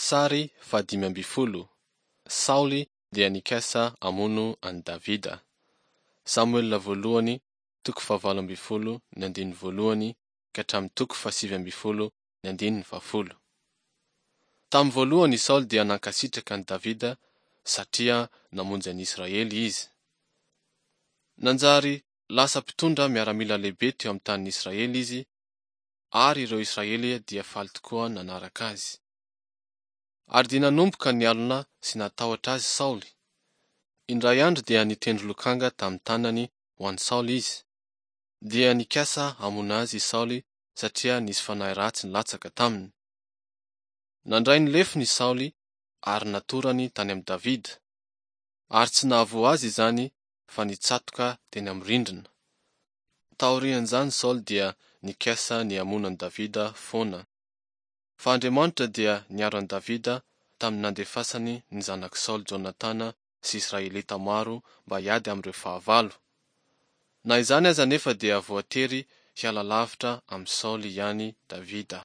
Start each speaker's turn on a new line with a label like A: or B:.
A: Sary fahadimy ambin'ny folo. Saoly dia nikasa hamono an'i Davida. Samoela voalohany toko fahavalo ambin'ny folo ny andininy voalohany ka hatramin'ny toko fahasivy ambin'ny folo ny andininy fahafolo. Tamin'ny voalohany i Saoly dia nankasitraka an'i Davida satria namonjy an'i Israely izy. Nanjary lasa mpitondra miaramila lehibe teo amin'ny tanin'i Israely izy ary ireo Israely dia faly tokoa nanaraka azy. Ary dia nanomboka nialona sy natahotra azy Saoly. Indray andro dia nitendry lokanga tamin'ny tanany ho an'i Saoly izy. Dia nikasa hamono azy i Saoly satria nisy fanahy ratsy nilatsaka taminy. Nandray ny lefony i Saoly ary natorany tany amin'i Davida. Ary tsy nahavoa azy izany fa nitsatoka teny amin'ny rindrina. Taorian'izany Saoly dia nikasa ny hamono an'i Davida foana. Fa Andriamanitra dia niaro an'i Davida tamin'ny nandefasany ny zanak'i Saoly Jonatana sy Israelita maro mba hiady amin'ireo fahavalo. Na izany aza anefa dia voatery hiala lavitra amin'i Saoly ihany Davida.